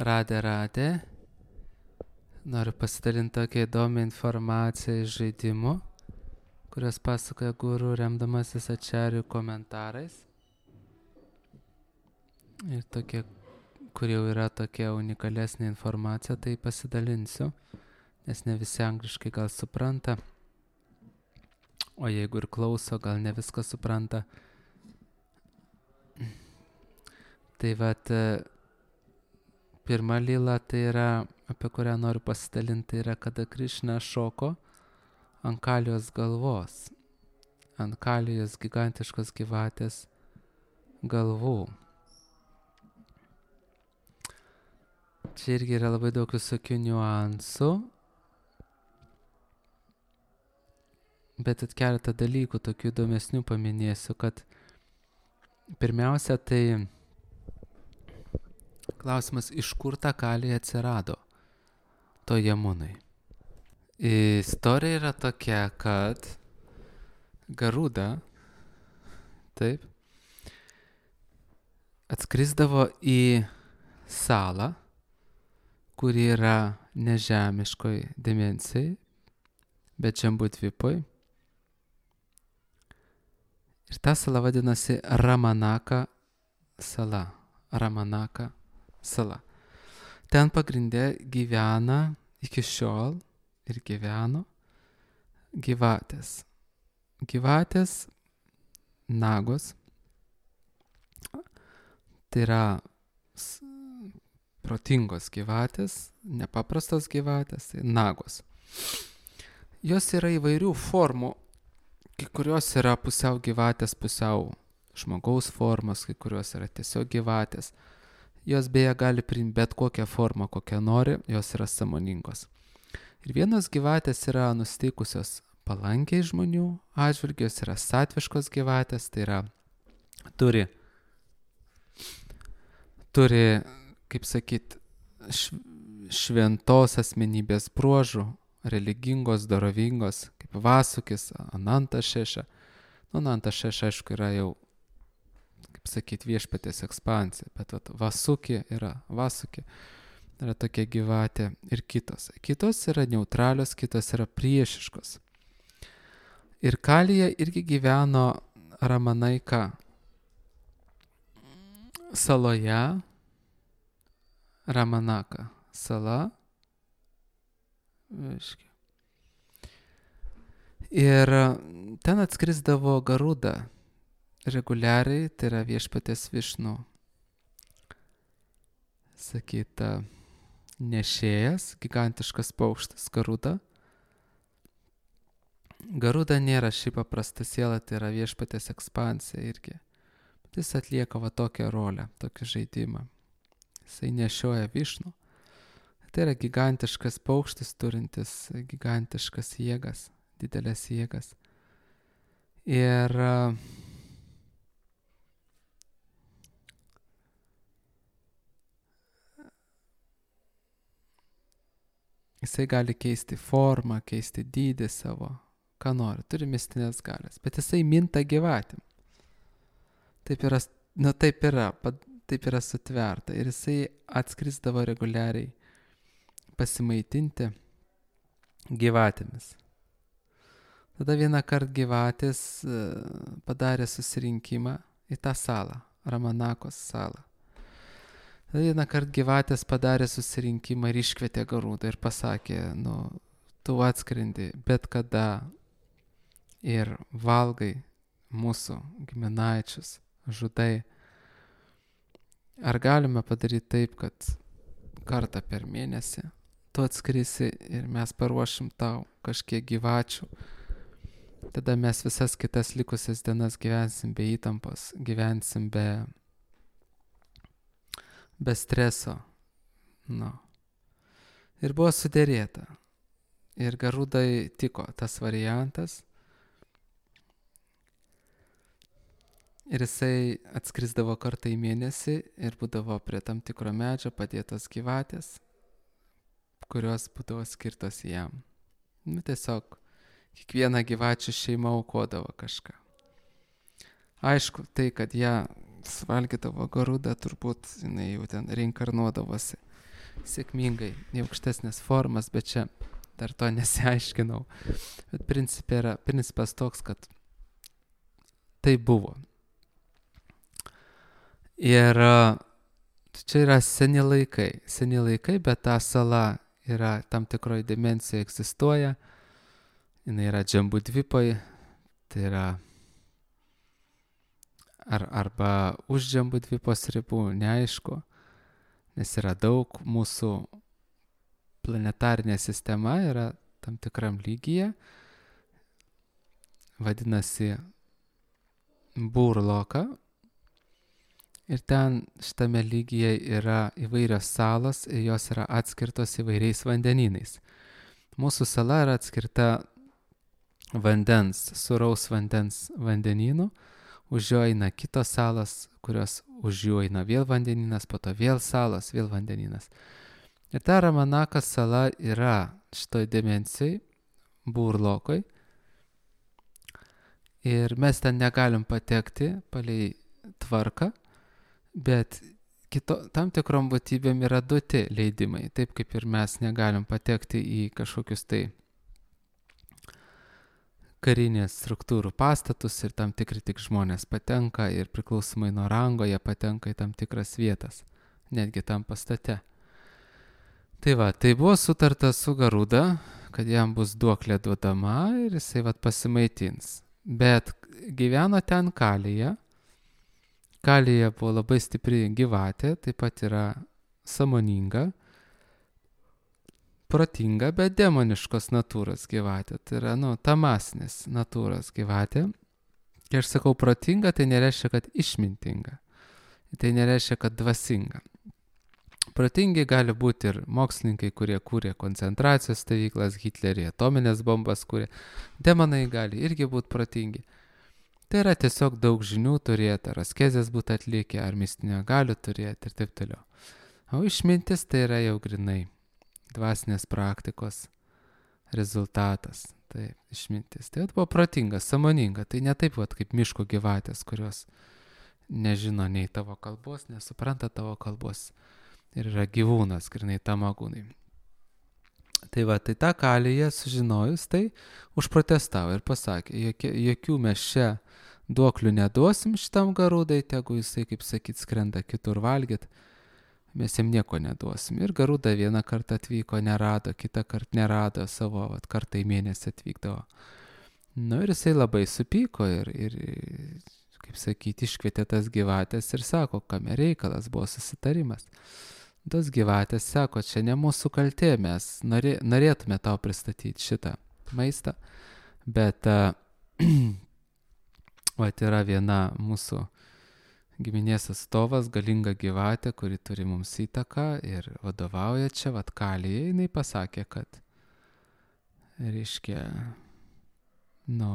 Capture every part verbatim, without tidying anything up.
Radė, radė. Noriu pasidalinti tokią įdomią informaciją iš žaidimų, kurios pasakoja guru remdamasis ačarių komentarais. Ir tokie, kur jau yra tokia unikalesnė informacija, tai pasidalinsiu, nes ne visi angliškai gal supranta, o jeigu ir klauso, gal ne viską supranta. Tai vat, pirma lila, tai yra, apie kurią noriu pasidalinti, yra kada Krišna šoko ant Kalijos galvos, ant Kalijos gigantiškos gyvatės galvų. Čia irgi yra labai daug visokių niuansų, bet at keletą dalykų tokių įdomesnių paminėsiu, kad pirmiausia, tai klausimas, iš kur ta Kalija atsirado to Jamunai. Istorija yra tokia, kad Garuda, taip, atskrisdavo į salą, kuri yra nežemiškoj dimensijai, bet Džambudvipoj. Ir ta sala vadinasi Ramanaka sala. Ramanaka sala. Ten pagrindė gyvena iki šiol ir gyveno gyvatės. Gyvatės nagos. Tai yra protingos gyvatės, nepaprastos gyvatės, tai nagos. Jos yra įvairių formų, kai kurios yra pusiau gyvatės, pusiau žmogaus formos, kai kurios yra tiesiog gyvatės. Jos beje gali priimti bet kokią formą, kokią nori, jos yra sąmoningos. Ir vienos gyvatės yra nusteikusios palankiai žmonių atžvilgiu, jos yra satviškos gyvatės, tai yra turi, turi kaip sakyt, šventos asmenybės bruožų, religingos, dorovingos, kaip Vasukis, Ananta Šeša. Nu, Ananta Šeša, aišku, yra jau, kaip sakyt, viešpatės ekspansija, bet vat, Vasukė yra Vasukė, yra tokia gyvatė ir kitos. Kitos yra neutralios, kitos yra priešiškos. Ir Kalija irgi gyveno Ramanaika saloje, Ramanaka sala. Aiškiai. Ir ten atskrisdavo Garuda reguliariai, tai yra viešpatės Višnu, sakyta, nešėjas, gigantiškas paukštis Garuda. Garuda nėra šiaip paprasta siela, tai yra viešpatės ekspansija irgi. Bet jis atlieka va tokią rolę, tokį žaidimą. Jisai nešioja Višnu. Tai yra gigantiškas paukštis, turintis gigantiškas jėgas, didelės jėgas. Ir jisai gali keisti formą, keisti dydį savo, ką nori, turi mistinės galias, bet jisai minta gyvatėm. Taip yra, nu taip yra, taip yra sutverta. Ir jisai atskrisdavo reguliariai pasimaitinti gyvatėmis. Tada vieną kartą gyvatės padarė susirinkimą į tą salą, Ramanakos salą. Tada vieną kartą gyvatės padarė susirinkimą ir iškvietė Garudą ir pasakė, nu, tu atskrendi bet kada ir valgai mūsų giminaičius, žudai. Ar galime padaryti taip, kad kartą per mėnesį tu atskrisi ir mes paruošim tau kažkiek gyvačių. Tada mes visas kitas likusias dienas gyvensim be įtampos, gyvensim be, be streso. Nu. Ir buvo sudėrėta. Ir Garudai tiko tas variantas. Ir jisai atskrisdavo kartą į mėnesį ir būdavo prie tam tikro medžio padėtos gyvatės, kurios būdavo skirtos jam. Nu, tiesiog kiekviena gyvačių šeima aukodavo kažką. Aišku, tai, kad ją suvalgydavo Garuda, turbūt jinai jau ten reinkarnuodavosi sėkmingai į aukštesnės formas, bet čia dar to nesiaiškinau. Bet principė yra, principas toks, kad tai buvo. Ir čia yra seni laikai, seni laikai, bet ta sala yra tam tikroje dimensijoje egzistuoja. Jinai yra Džambudvipoj, tai yra ar, arba už Džambudvipos ribų, neaišku, nes yra daug, mūsų planetarinė sistema yra tam tikram lygyje, vadinasi Burloka, ir ten šitame lygyje yra įvairios salos ir jos yra atskirtos įvairiais vandenynais. Mūsų sala yra atskirta vandens, sūraus vandens vandenynu, už jo eina kitos salos, kurios už jų eina vėl vandenynas, po to vėl salos, vėl vandenynas. Ir ta Ramanakas sala yra šitoj dimensijai, Burlokoj, ir mes ten negalim patekti palei tvarką, bet kito, tam tikrom būtybėm yra duoti leidimai, taip kaip ir mes negalim patekti į kažkokius tai karinės struktūrų pastatus ir tam tikri tik žmonės patenka ir priklausomai nuo rango jie patenka į tam tikras vietas, netgi tam pastate. Tai va, tai buvo sutarta su Garuda, kad jam bus duoklė duodama ir jisai vat pasimaitins. Bet gyveno ten Kalija. Kalija buvo labai stipri gyvatė, taip pat yra sąmoninga, protinga, bet demoniškos natūros gyvatė. Tai yra, nu, tamasnės natūros gyvatė. Kai aš sakau protinga, tai nereiškia, kad išmintinga. Tai nereiškia, kad dvasinga. Protingi gali būti ir mokslininkai, kurie kūrė koncentracijos stovyklas, Hitlerį atominės bombas kūrė. Demonai gali irgi būti protingi. Tai yra tiesiog daug žinių turėti, ar askezės būti atlikę, ar mistinio galių turėti ir taip toliau. O išmintis tai yra jau grinai dvasinės praktikos rezultatas. Taip, išmintis. Tai buvo protinga, sąmoninga. Tai ne taip vat, kaip miško gyvatės, kurios nežino nei tavo kalbos, nesupranta tavo kalbos. Ir yra gyvūnas, grinai tamagūnai. Tai va, tai tą Kaliją sužinojus, tai užprotestavo ir pasakė, jokie, jokių mes čia duoklių neduosim šitam Garudai, tegu jisai, kaip sakyt, skrenda kitur valgyt, mes jam nieko neduosim. Ir Garuda vieną kartą atvyko, nerado, kitą kartą nerado, savo vat, kartą į mėnesį atvykdavo. Nu ir jisai labai supyko ir, ir kaip sakyt, iškvietė tas gyvatės ir sako, kame reikalas, buvo susitarimas. Tos gyvatės sako, čia ne mūsų kaltė, mes norė, norėtume tau pristatyti šitą maistą, bet uh, vat yra viena mūsų giminės atstovas, galinga gyvatė, kuri turi mums įtaką ir vadovauja čia, vat Kalijai, jinai pasakė, kad reiškia, nu,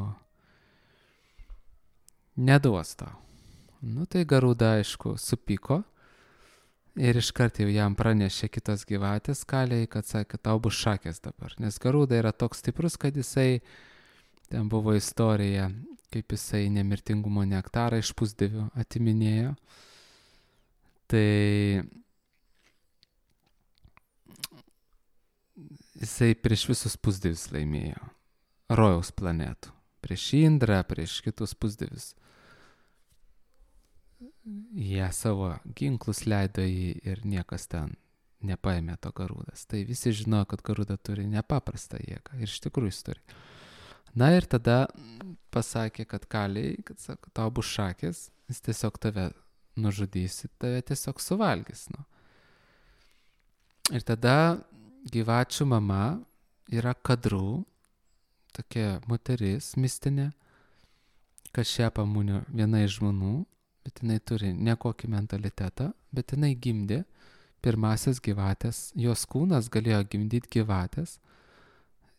neduos tau. Nu tai Garuda, aišku, supyko. Ir iškart jau jam pranešė kitos gyvatės Kalijai, kad sakė, tau bus šakės dabar. Nes Garuda yra toks stiprus, kad jisai, ten buvo istorija, kaip jisai nemirtingumo nektarą iš pusdievių atiminėjo. Tai jisai prieš visus pusdievius laimėjo. Rojaus planetų. Prieš Indrą, prieš kitus pusdievius. Jie savo ginklus leido jį ir niekas ten nepaėmė to Garudas. Tai visi žinojo, kad Garuda turi nepaprastą jėgą. Ir iš tikrųjų jis turi. Na ir tada pasakė, kad Kalijai, kad sako, tau bus šakės, jis tiesiog tave nužudys, tave tiesiog suvalgys. Nu. Ir tada gyvačių mama yra Kadru, tokia moteris mistinė, Kašepa-munio viena iš žmonų. Bet jinai turi nekokį mentalitetą, bet jinai gimdė pirmasias gyvatės, jos kūnas galėjo gimdyti gyvatės,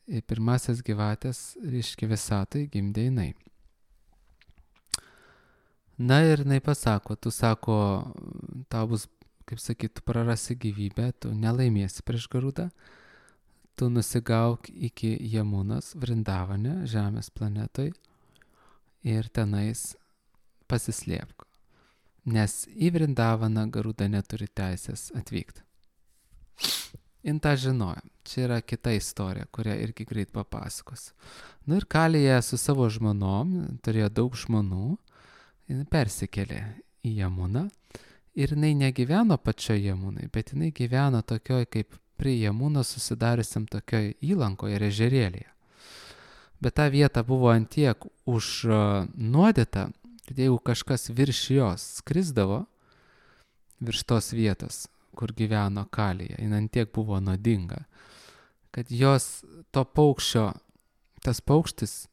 ir pirmasias gyvatės, reiškia visatai, gimdė jinai. Na ir jinai pasako, tu sako, tau bus, kaip sakyt, tu prarasi gyvybę, tu nelaimėsi prieš Garudą, tu nusigauk iki Jamunos Vrindavane, Žemės planetoj, ir tenais pasislėpk. Nes į Vrindavaną Garuda neturi teisės atvykti. jin tą žinojo. Čia yra kita istorija, kurią irgi greit papasakosiu. Nu ir Kalija su savo žmonom, turėjo daug žmonų, jin persikėlė į Jamuną ir jinai negyveno pačioje Jamunai, bet jinai gyveno tokioj kaip prie Jamuno susidariusiam tokioj įlankoje ir ežerėlėje. Bet ta vieta buvo antiek užnuodyta, kad jeigu kažkas virš jos skrisdavo, virš tos vietos, kur gyveno Kalija, jin antiek buvo nuodinga, kad jos to paukščio, tas paukštis,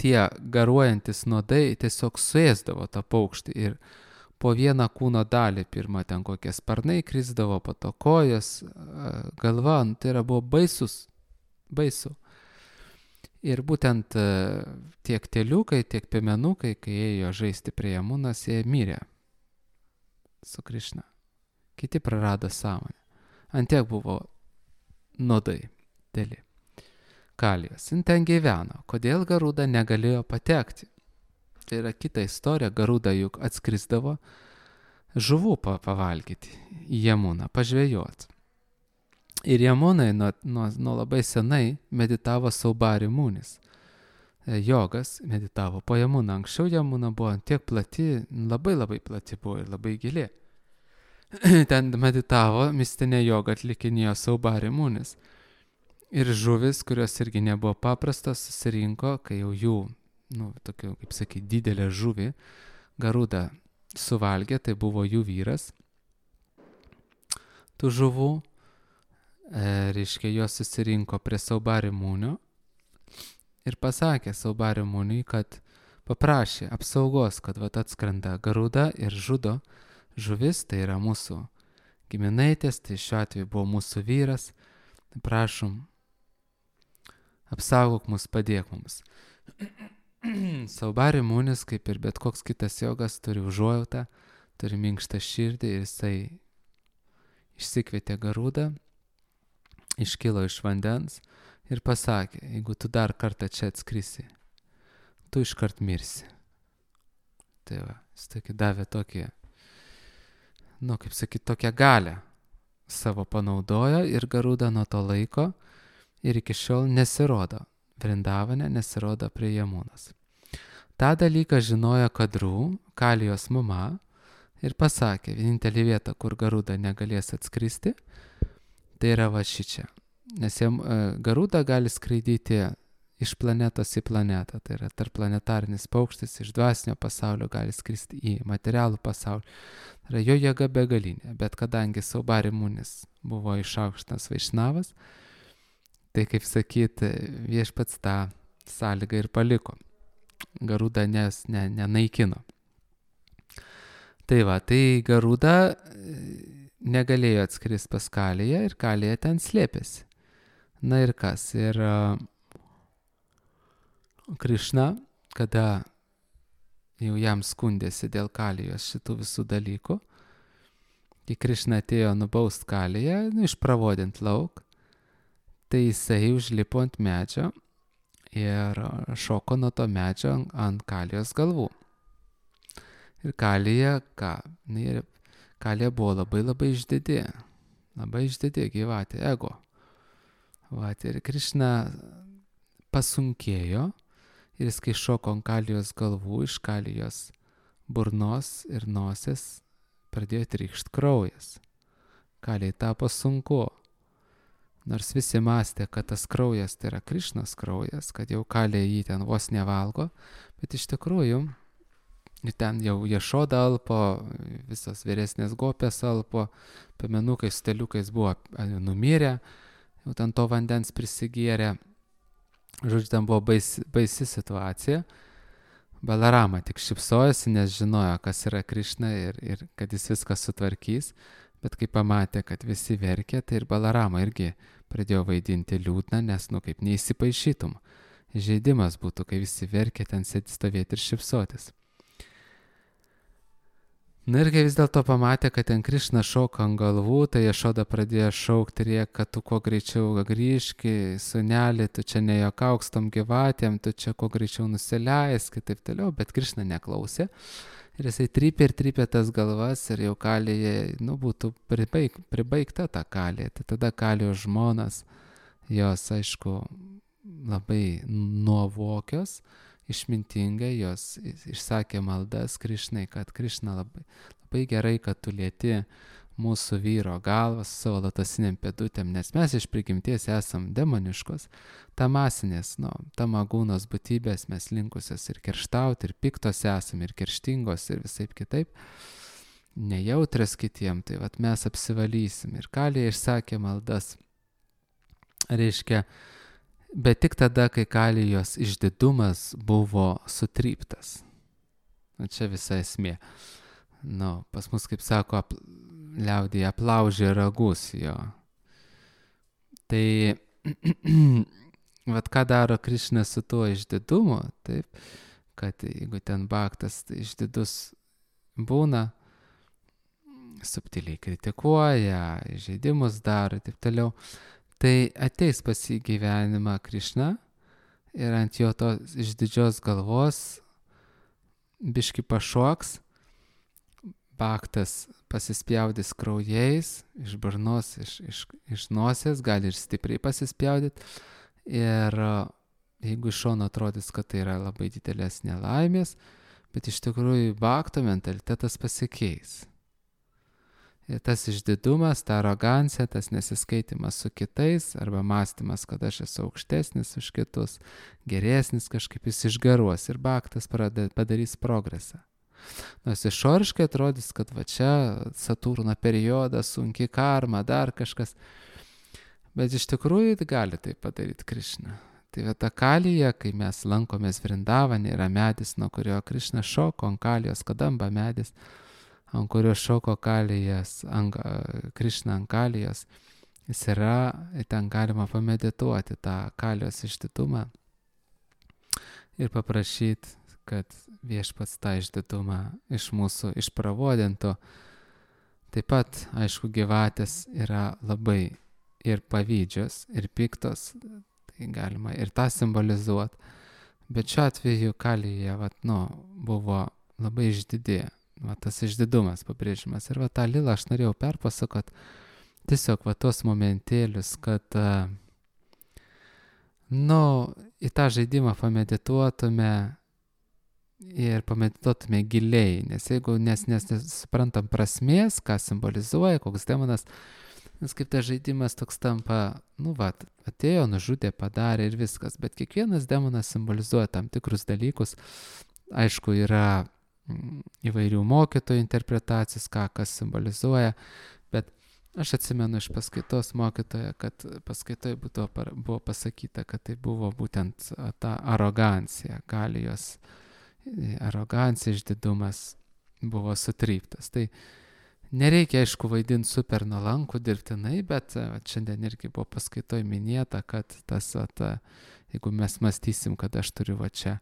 tie garuojantis nuodai tiesiog suėsdavo tą paukštį ir po vieną kūno dalį, pirmą ten kokie sparnai krisdavo, po to kojos, galva, tai yra buvo baisus, baisu. Ir būtent tiek teliukai, tiek piemenukai, kai ėjo žaisti prie Jamunos, jie mirė su Krišna. Kiti prarado sąmonę. Antiek buvo nuodai dėli. Kalijos. Jin ten gyveno. Kodėl Garuda negalėjo patekti? Tai yra kita istorija. Garuda juk atskrisdavo žuvų pavalgyti į Jamuną, pažvejoti. Ir Jamunai nuo, nuo, nuo labai senai meditavo Saubari Munis. Jogas meditavo po Jamuną. Anksčiau Jamuna buvo tiek plati, labai labai plati buvo ir labai gili. Ten meditavo, mistinė joga atlikinėjo Saubari Munis. Ir žuvis, kurios irgi nebuvo paprastos, susirinko, kai jau jų, nu, tokių, kaip sakyti, didelė žuvį, Garuda suvalgė, tai buvo jų vyras. Tų žuvų, e, reiškia, jos susirinko prie Saubari Munio ir pasakė Saubari Muniui, kad paprašė apsaugos, kad vat atskrenda Garuda ir žudo žuvis, tai yra mūsų giminaitės, tai šiuo atveju buvo mūsų vyras, prašom, apsaugok mus, padėk mums. Saubari Munis, kaip ir bet koks kitas jogas, turi užuojautą, turi minkštą širdį ir jisai išsikvietė Garudą, iškilo iš vandens ir pasakė, jeigu tu dar kartą čia atskrisi, tu iškart mirsi. Tai va, jis tokį davė tokį, nu, kaip sakyti, tokią galę savo panaudojo ir Garuda nuo to laiko ir iki šiol nesirodo Vrindavane, nesirodo prie Jamunos. Ta dalyką žinojo Kadrų, Kalijos mama, ir pasakė, vienintelė vieta, kur Garuda negalės atskristi, tai yra va šičia. Nes jam, Garuda gali skraidyti iš planetos į planetą, tai yra tarpplanetarinis paukštis, iš dvasinio pasaulio gali skristi į materialų pasaulį. Tai yra jo jėga begalinė, bet kadangi Saubari Munis buvo išaukštas Vaišnavas, tai kaip sakyti, viešpats tą sąlygą ir paliko. Garuda nes, ne, nenaikino. Tai va, tai Garuda negalėjo atskristi pas Kaliją ir Kalija ten slėpėsi. Na ir kas? Ir uh, Krišna, kada jau jam skundėsi dėl Kalijos šitų visų dalykų, kai Krišna atėjo nubaust Kaliją, nu, išpravodint lauk, tai jisai užlipo ant medžio ir šoko nuo to medžio ant Kalijos galvų. Ir Kalija, ką? Kalija buvo labai labai išdidi, labai išdidi gyvatė, ego. Vat, ir Krišna pasunkėjo ir jis, kai šoko ant Kalijos galvų, iš Kalijos burnos ir nosies pradėjo trykšt kraujas. Kalijai tapo sunku. Nors visi mąstė, kad tas kraujas tai yra Krišnos kraujas, kad jau Kalija jį ten vos nevalgo, bet iš tikrųjų ten jau Jašoda alpo, visos vyresnės gopės alpo, piemenukai su teliukais buvo numirę, jau ten to vandens prisigėrė. Žodžiu, ten buvo baisi, baisi situacija. Balarama tik šypsojosi, nes žinojo, kas yra Krišna ir, ir kad jis viską sutvarkys. Bet kai pamatė, kad visi verkė, tai ir Balarama irgi pradėjo vaidinti liūdną, nes, nu, kaip neįsipaišytum. Žaidimas būtų, kai visi verkė, ten sėdi stovėti ir šypsotis. Na ir kai vis dėlto pamatė, kad ten Krišna šoka ant galvų, tai Jašoda pradėjo šaukti, rėk, kad tu kuo greičiau grįžki, sūneli, tu čia nejuokauk su tom gyvatėm, tu čia kuo greičiau nusileisk, taip toliau, bet Krišna neklausė. Ir jisai trypė ir trypė tas galvas ir jau Kalyje, nu, būtų pribaig, pribaigta ta Kalija. Tai tada Kalijos žmonas, jos, aišku, labai nuovokios, išmintingai, jos išsakė maldas Krišnai, kad Krišna labai, labai gerai, kad tu lieti mūsų vyro galvą su savo lotosinėm pėdutėm, nes mes iš prigimties esam demoniškos, tamasinės, nu, tamagūnos būtybės, mes linkusios ir kerštauti, ir piktos esam, ir kerštingos, ir visaip kitaip, nejautrios kitiem, tai vat mes apsivalysim. Ir Kalija išsakė maldas, reiškia, bet tik tada, kai Kalijos išdidumas buvo sutryptas. Nu, čia visa esmė. Nu, pas mus, kaip sako, ap, liaudyje aplaužė ragus jo. Tai, vat ką daro Krišna su tuo išdidumu, taip, kad jeigu ten baktas išdidus būna, subtiliai kritikuoja, įžeidimus daro ir taip toliau, tai ateis pas jį gyvenimą Krišna ir ant jo tos išdidžios galvos biški pašoks, baktas pasispjaudys kraujais, iš burnos, iš, iš, iš nosies, gali ir stipriai pasispjaudyti. Ir jeigu iš šono atrodys, kad tai yra labai didelės nelaimės, bet iš tikrųjų bakto mentalitetas pasikeis. Ir tas išdidumas, ta arogancija, tas nesiskaitimas su kitais, arba mąstymas, kad aš esu aukštesnis už kitus, geresnis, kažkaip jis išgaruos ir baktas padarys progresą. Nors išoriškai atrodys, kad va čia Saturno periodas, sunki karma, dar kažkas. Bet iš tikrųjų gali tai padaryti Krišna. Tai va ta Kalija, kai mes lankomės Vrindavane, yra medis, nuo kurio Krišna šoko, ant Kalijos kadamba medis, ant kurio šoko Kalijas, ant, Krišna ant Kalijos. Jis yra, ten galima pamedituoti tą Kalijos išdidumą ir paprašyti, kad viešpats tą išdidumą iš mūsų išpravodintų. Taip pat, aišku, gyvatės yra labai ir pavydžios, ir piktos, tai galima ir tą simbolizuoti. Bet šiuo atveju Kalija, vat, nu, buvo labai išdidė, va, tas išdidumas pabrėžimas. Ir va tą lilą aš norėjau perpasakot, tiesiog va tos momentėlius, kad, nu, į tą žaidimą pamedituotume, ir pamedituotume giliai, nes jeigu nes, nes nesuprantam prasmės, ką simbolizuoja, koks demonas, nes kaip tas žaidimas toks tampa, nu va, atėjo, nužudė, padarė ir viskas, bet kiekvienas demonas simbolizuoja tam tikrus dalykus. Aišku, yra įvairių mokytojų interpretacijos, ką kas simbolizuoja, bet aš atsimenu iš paskaitos mokytojo, kad paskaitoje buvo, buvo pasakyta, kad tai buvo būtent ta arogancija, Kalijos arogancija, išdidumas buvo sutryptas. Tai nereikia, aišku, vaidinti super nuolankų dirbtinai, bet šiandien irgi buvo paskaitoj minėta, kad tas, at, jeigu mes mąstysim, kad aš turiu va čia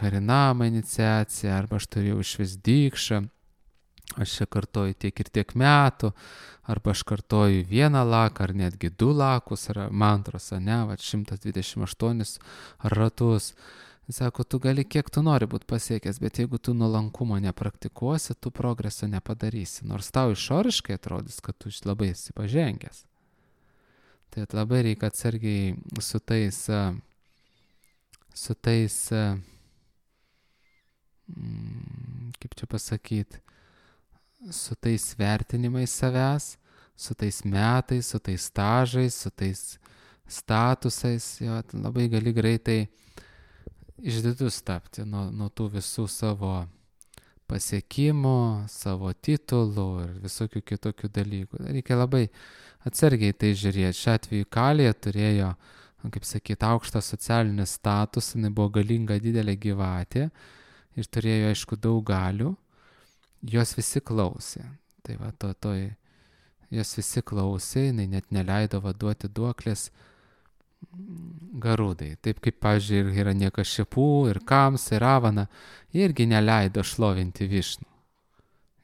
Harinama iniciaciją, arba aš turiu išvis dykšą, aš čia kartoju tiek ir tiek metų, arba aš kartoju vieną laką, ar netgi du lakus, ar mantros, ne, va, šimtas dvidešimt aštuonis ratus. Sako, tu gali kiek tu nori būti pasiekęs, bet jeigu tu nuolankumo nepraktikuosi, tu progreso nepadarysi. Nors tau išoriškai atrodys, kad tu labai esi pažengęs. Tai labai reikia atsargiai su tais, su tais, kaip čia pasakyti, su tais vertinimais savęs, su tais metais, su tais stažais, su tais statusais. Jo, labai gali greitai išdidus tapti nuo, nuo tų visų savo pasiekimų, savo titulų ir visokių kitokių dalykų. Reikia labai atsargiai tai žiūrėti. Šiuo atveju Kalija turėjo, kaip sakyti, aukštą socialinį statusą, jinai buvo galinga didelė gyvatė ir turėjo, aišku, daug galių. Jos visi klausė. Tai va, to, to, jos visi klausė, jinai net neleido vaduoti duoklės Garudai. Taip kaip, pavyzdžiui, ir Hiranyakašipų, ir Kamsa, ir Ravana, irgi neleido šlovinti Višnų.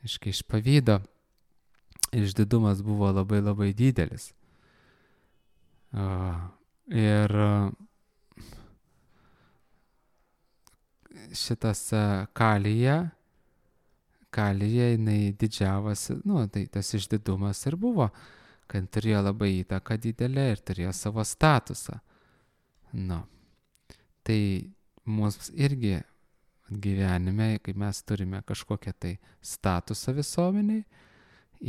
Iškai iš pavydo išdidumas buvo labai labai didelis. Ir šitas Kalija, Kalija jinai didžiavosi, nu, tai tas išdidumas ir buvo, kad turėjo labai įtaką didelę ir turėjo savo statusą. Nu, tai mums irgi gyvenime, kai mes turime kažkokią tai statusą visuomeniai,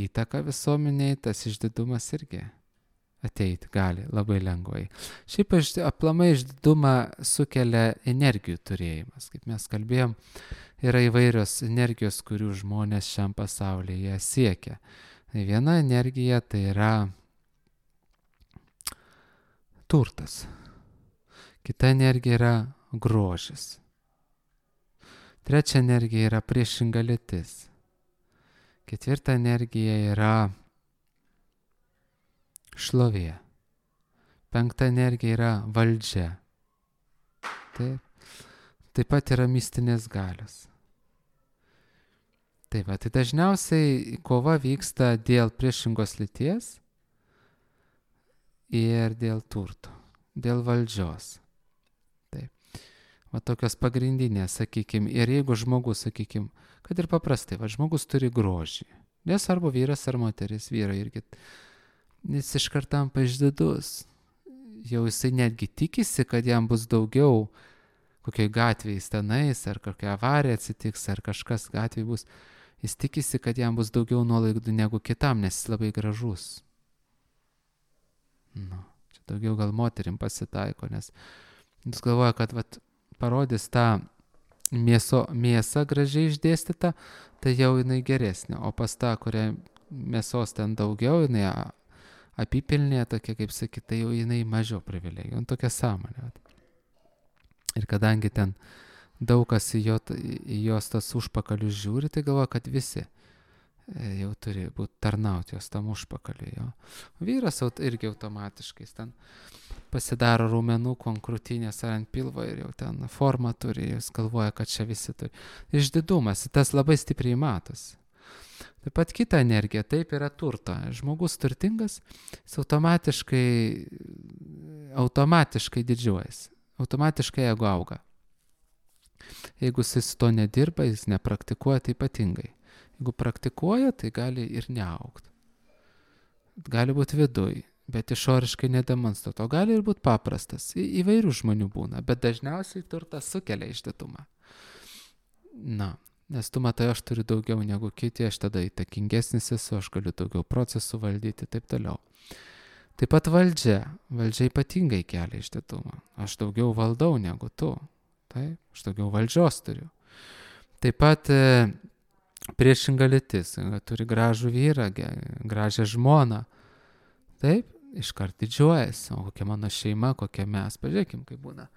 įtaką visuomeniai, tas išdidumas irgi ateiti gali labai lengvai. Šiaip aplamai išdidumą sukelia energijų turėjimas. Kaip mes kalbėjom, yra įvairios energijos, kurių žmonės šiam pasaulyje siekia. Tai viena energija tai yra turtas. Kita energija yra grožis. Trečia energija yra priešinga lytis. Ketvirta energija yra šlovė. Penkta energija yra valdžia. Taip. Taip pat yra mistinės galios. Taip, tai dažniausiai kova vyksta dėl priešingos lyties ir dėl turto, dėl valdžios. Taip. Va tokios pagrindinės, sakykime, ir jeigu žmogus, sakykime, kad ir paprastai, va žmogus turi grožį, nesvarbu vyras ar moteris, vyrai irgi, jis iš karto tampa išdidus. Jau jisai netgi tikisi, kad jam bus daugiau kokioj gatvėje tenais, ar kokia avarija atsitiks, ar kažkas gatvėje bus. Jis tikisi, kad jam bus daugiau nuolaidų negu kitam, nes jis labai gražus. Nu, čia daugiau gal moterim pasitaiko, nes jis galvoja, kad vat, parodys tą mėso, mėsą gražiai išdėstytą, tai jau jinai geresnė. O pas tą, kurią mėsos ten daugiau, jinai apipilnė, tokia kaip sakyt, tai jau jinai mažiau privilegijų. Nu, tokia sąmonė. Ir kadangi ten daug kas į, jo, į jos tas užpakalius žiūri, tai galvoja, kad visi jau turi būti tarnauti jos tam užpakaliui. Jo. Vyras irgi automatiškai ten pasidaro raumenukų ant krūtinės ar ant pilvo ir jau ten formą turi, jis galvoja, kad čia visi turi. Išdidumas, tas labai stipriai matosi. Taip pat kita energija, taip yra turto. Žmogus turtingas, jis automatiškai, automatiškai didžiuojasi, automatiškai ego auga. Jeigu jis to nedirba, jis nepraktikuoja, tai ypatingai. Jeigu praktikuoja, tai gali ir neaugti. Gali būti viduj, bet išoriškai nedemonstruoti. O gali ir būti paprastas. Į, įvairių žmonių būna, bet dažniausiai turtas sukelia išdidumą. Na, nes tu matai, aš turiu daugiau negu kiti, aš tada įtakingesnis esu, aš galiu daugiau procesų valdyti, taip toliau. Taip pat valdžia. Valdžia ypatingai kelia išdidumą. Aš daugiau valdau negu tu. Taip, aš daugiau valdžios turiu. Taip pat e, priešinga lytis. Turi gražų vyrą, gražią žmoną. Taip, iškart didžiuojasi. O kokia mano šeima, kokia mes. Pažiūrėkim, kaip būna.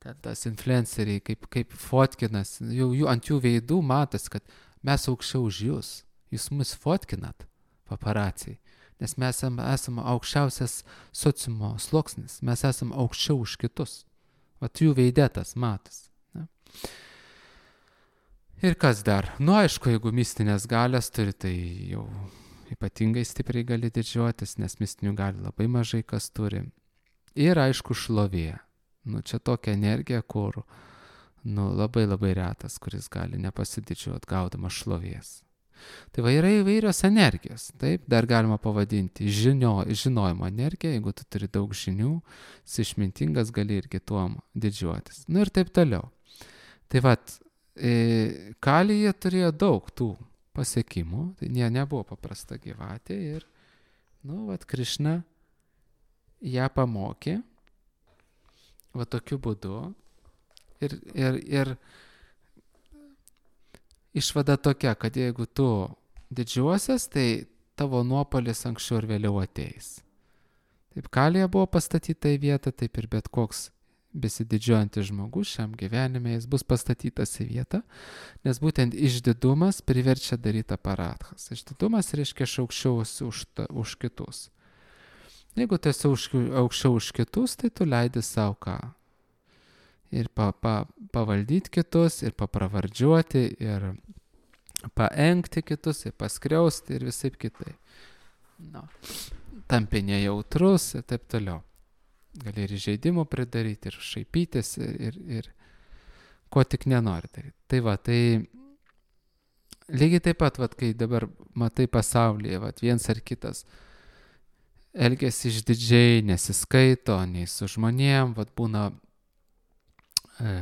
Ten tas influenceriai, kaip, kaip fotkinas. Jau, jų, ant jų veidų matas, kad mes aukščiau už jūs. Jūs mus fotkinat, paparaciai. Nes mes esame esam aukščiausias sociumo sluoksnis. Mes esame aukščiau už kitus. Vat jų veidėtas matas. Ne? Ir kas dar? Nu, aišku, jeigu mistinės galias turi, tai jau ypatingai stipriai gali didžiuotis, nes mistinių galių labai mažai kas turi. Ir aišku, šlovė. Nu, čia tokia energija, kur nu, labai labai retas, kuris gali nepasididžiuoti gaudamas šlovės. Tai va yra įvairios energijos, taip, dar galima pavadinti žinio, žinojimo energiją, jeigu tu turi daug žinių, esi išmintingas, gali irgi tuom didžiuotis. Nu ir taip toliau. Tai va, e, Kalija turėjo daug tų pasiekimų, tai ne, nebuvo paprasta gyvatė ir, nu, va, Krišna ją pamokė, va tokiu būdu ir, ir, ir išvada tokia, kad jeigu tu didžiuosies, tai tavo nuopolis anksčiau ir vėliau ateis. Taip Kalija buvo pastatyta į vietą, taip ir bet koks besididžiuojantis žmogus šiam gyvenime, jis bus pastatytas į vietą, nes būtent išdidumas priverčia daryti aparatchas. Išdidumas reiškia aukščiau už, už kitus. Jeigu tu esi aukščiau už kitus, tai tu leidi savo ką. Ir pa, pa, pavaldyti kitus, ir papravardžiuoti, ir paengti kitus, ir paskriausti, ir visaip kitai. No. Tampi nejautrus, ir taip toliau. Gali ir žaidimų pridaryti, ir šaipytis, ir, ir, ir ko tik nenori daryti. Tai va, tai lygiai taip pat, vat, kai dabar matai pasaulyje, vat, viens ar kitas elgiasi išdidžiai, nesiskaito, nei su žmonėm, vat, būna e,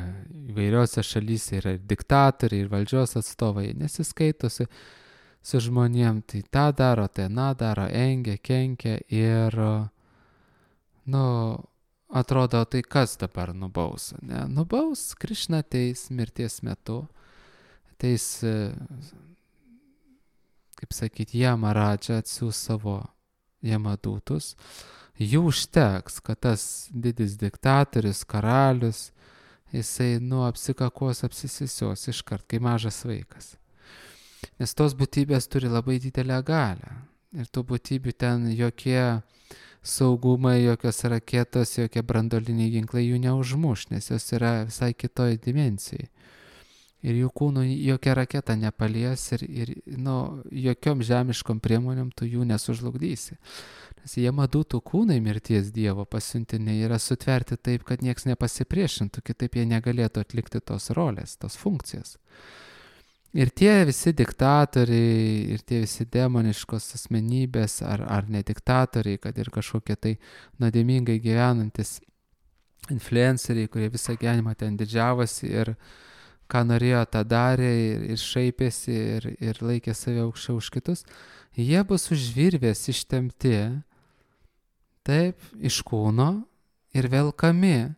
įvairiose šalyse yra ir diktatoriai, ir valdžios atstovai, nesiskaitosi su žmonėm, tai tą daro, tai aną daro, engia, kenkia ir, nu, atrodo, tai kas dabar nubaus, ne? Nubaus, Krišna ateis mirties metu, ateis, kaip sakyti, Jamaradža atsiūs savo Jamadūtus, jų užteks, kad tas didis diktatorius, karalius, jisai, nu, apsikakos, apsisisios iškart, kai mažas vaikas. Nes tos būtybės turi labai didelę galią. Ir tų būtybių ten jokie saugumai, jokios raketos, jokie brandoliniai ginklai jų neužmuš, nes jos yra visai kitoj dimensijai. Ir jų kūnų jokia raketa nepalies ir, ir nu, jokiom žemiškom priemonėm tu jų nesužlugdysi. Nes Jamadūtų kūnai mirties Dievo pasiuntiniai yra sutverti taip, kad nieks nepasipriešintų, kitaip jie negalėtų atlikti tos rolės, tos funkcijos. Ir tie visi diktatoriai, ir tie visi demoniškos asmenybės, ar, ar ne diktatoriai, kad ir kažkokie tai nuodėmingai gyvenantis influenceriai, kurie visą gyvenimą ten didžiavosi ir ką norėjo, tą darė ir, ir šaipėsi ir, ir laikė save aukščiau už kitus, jie bus už virvės ištemti, taip, iš kūno ir velkami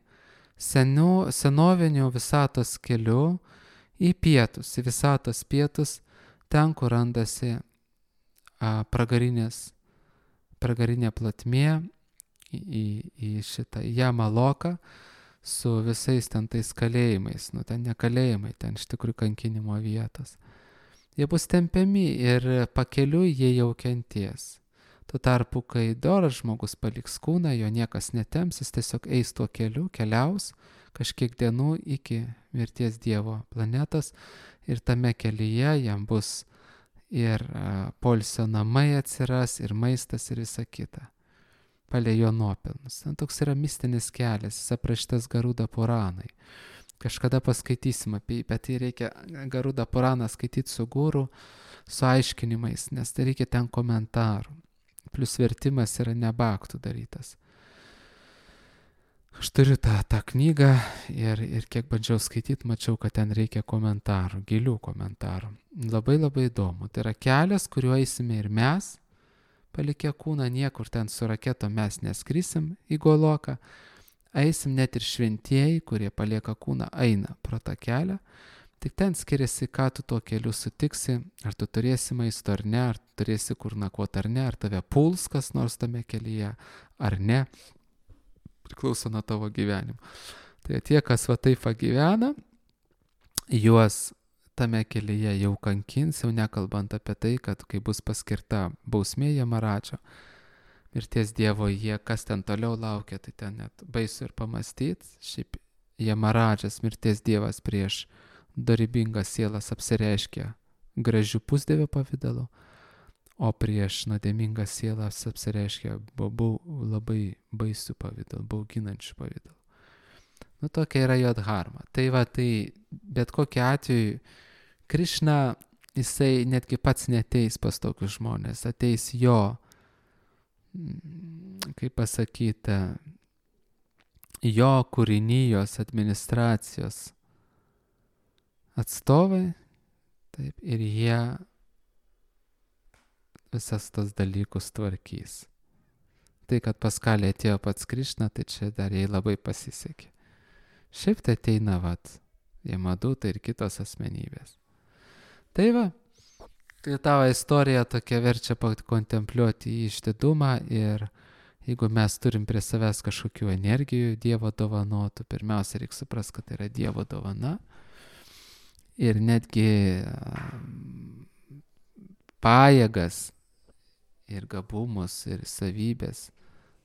senu, senoviniu visatos keliu į pietus, į visatos pietus, ten, kur randasi a, pragarinės, pragarinė platmė, į, į, į šitą Jamaloką, su visais ten tais kalėjimais, nu ten ne kalėjimai, ten iš tikrųjų kankinimo vietos. Jie bus tempiami ir pakeliui jie jau kenties. Tuo tarpu, kai doras žmogus paliks kūną, jo niekas netems, jis tiesiog eis tuo keliu, keliaus kažkiek dienų iki mirties Dievo planetos ir tame kelyje jam bus ir a, poilsio namai atsiras, ir maistas, ir visa kita. Palei jo nuopelnus. Ten toks yra mistinis kelias, jis aprašytas Garuda Puranai. Kažkada paskaitysim apie jį, bet tai reikia Garuda Puraną skaityti su guru, su aiškinimais, nes tai reikia ten komentarų. Plius vertimas yra ne baktų darytas. Aš turiu tą, tą knygą ir, ir kiek bandžiau skaityti, mačiau, kad ten reikia komentarų, gilių komentarų. Labai labai įdomu. Tai yra kelias, kuriuo eisime ir mes, palikę kūną, niekur ten su raketo mes neskrisim į Goloką, eisim net ir šventieji, kurie palieka kūną, eina pro tą kelią, tik ten skiriasi, ką tu tuo keliu sutiksi, ar tu turėsi maisto ar ne, ar turėsi kur nakvoti ar ne, ar tave puls kas nors tame kelyje ar ne, priklauso nuo tavo gyvenimo. Tai tie, kas va taip gyvena, juos tame kelyje jau kankins, jau nekalbant apie tai, kad kai bus paskirta bausmė Jamaradžo, mirties Dievo, jie kas ten toliau laukia, tai ten net baisu ir pamastyti. Šiaip Jamaradžas, mirties Dievas prieš dorybingas sielas apsireiškia gražių pusdievio pavidalu, o prieš nuodėmingas sielas apsireiškia bau, labai baisių pavidalu, bauginančių pavidalu. Nu, tokia yra jo dharma. Tai va, tai bet kokiu atveju Krišna, jisai netgi pats neteis pas tokius žmonės, ateis jo, kaip pasakyti, jo kūrinijos administracijos atstovai, taip, ir jie visas tas dalykus tvarkys. Tai, kad pas Kalį atėjo pats Krišna, tai čia dar jai labai pasisekė. Šiaip tai ateina, vat, Jamadūta ir kitos asmenybės. Tai va, tai tavo istorija tokia verčia kontempliuoti į išdidumą ir jeigu mes turim prie savęs kažkokių energijų Dievo dovanotų, pirmiausia reikia suprasti, kad tai yra Dievo dovana ir netgi pajėgas ir gabumus ir savybės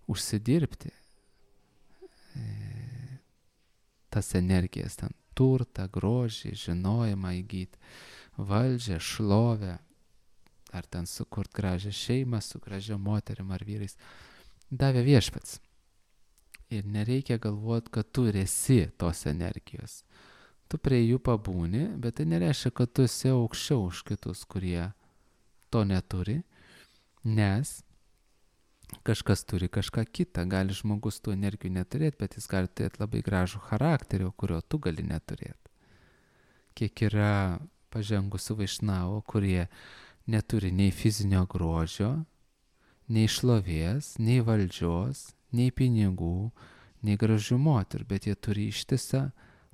užsidirbti tas energijas, ten turtą, grožį, žinojimą įgyti, valdžią, šlovę, ar ten sukurt gražią šeimą su gražia moterim ar vyrais, davė Viešpats. Ir nereikia galvoti, kad tu esi tos energijos. tu prie jų pabūni, bet tai nereiškia, kad tu esi aukščiau už kitus, kurie to neturi, nes kažkas turi kažką kitą. Gali žmogus tų energijų neturėti, bet jis gali turėti labai gražų charakterį, kurio tu gali neturėti. Kiek yra pažengusių vaišnavų, kurie neturi nei fizinio grožio, nei šlovės, nei valdžios, nei pinigų, nei gražių moterų, bet jie turi ištisą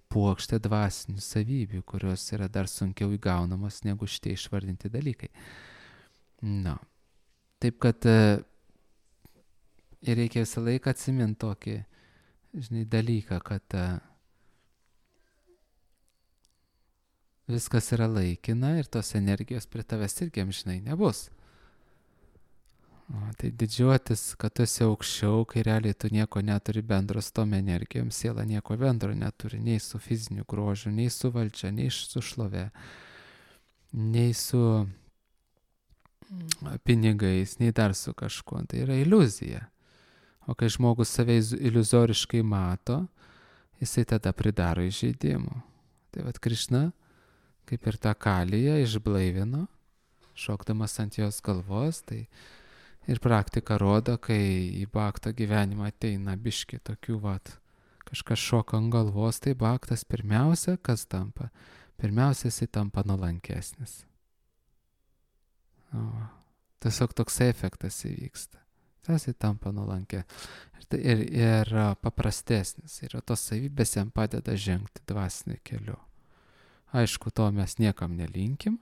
puokštę dvasinių savybių, kurios yra dar sunkiau įgaunamos negu šitie išvardinti dalykai. Na, taip kad ir reikia visą laiką atsiminti tokį, žinai, dalyką, kad viskas yra laikina ir tos energijos prie tavęs irgi amžinai nebus. O, tai didžiuotis, kad tu esi aukščiau, kai realiai tu nieko neturi bendro su tom energijom, siela nieko bendro neturi, nei su fiziniu grožiu, nei su valdžia, nei su šlove, nei su pinigais, nei dar su kažkuo. Tai yra iliuzija. O kai žmogus save iliuzoriškai mato, jisai tada pridaro įžeidimų. Tai vat Krišna, kaip ir tą Kaliją išblaivino, šokdamas ant jos galvos, tai ir praktika rodo, kai į bakto gyvenimą ateina biški tokių, vat, kažkas šoka ant galvos, tai baktas pirmiausia, kas tampa? Pirmiausia, jisai tampa nuolankesnis. O, tiesiog toks efektas įvyksta. Jisai tampa nuolankė. Ir, ir, ir paprastesnis. Ir tos savybės jam padeda žengti dvasiniu keliu. Aišku, to mes niekam nelinkim,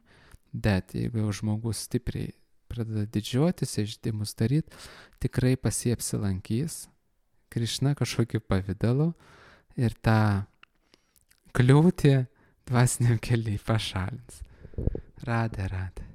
bet jeigu jau žmogus stipriai pradeda didžiuotis, įžeidimus daryti, tikrai pas jį apsilankys Krišna kažkokiu pavidalu ir tą kliūtį dvasiniam keliui pašalins. Radė, radė.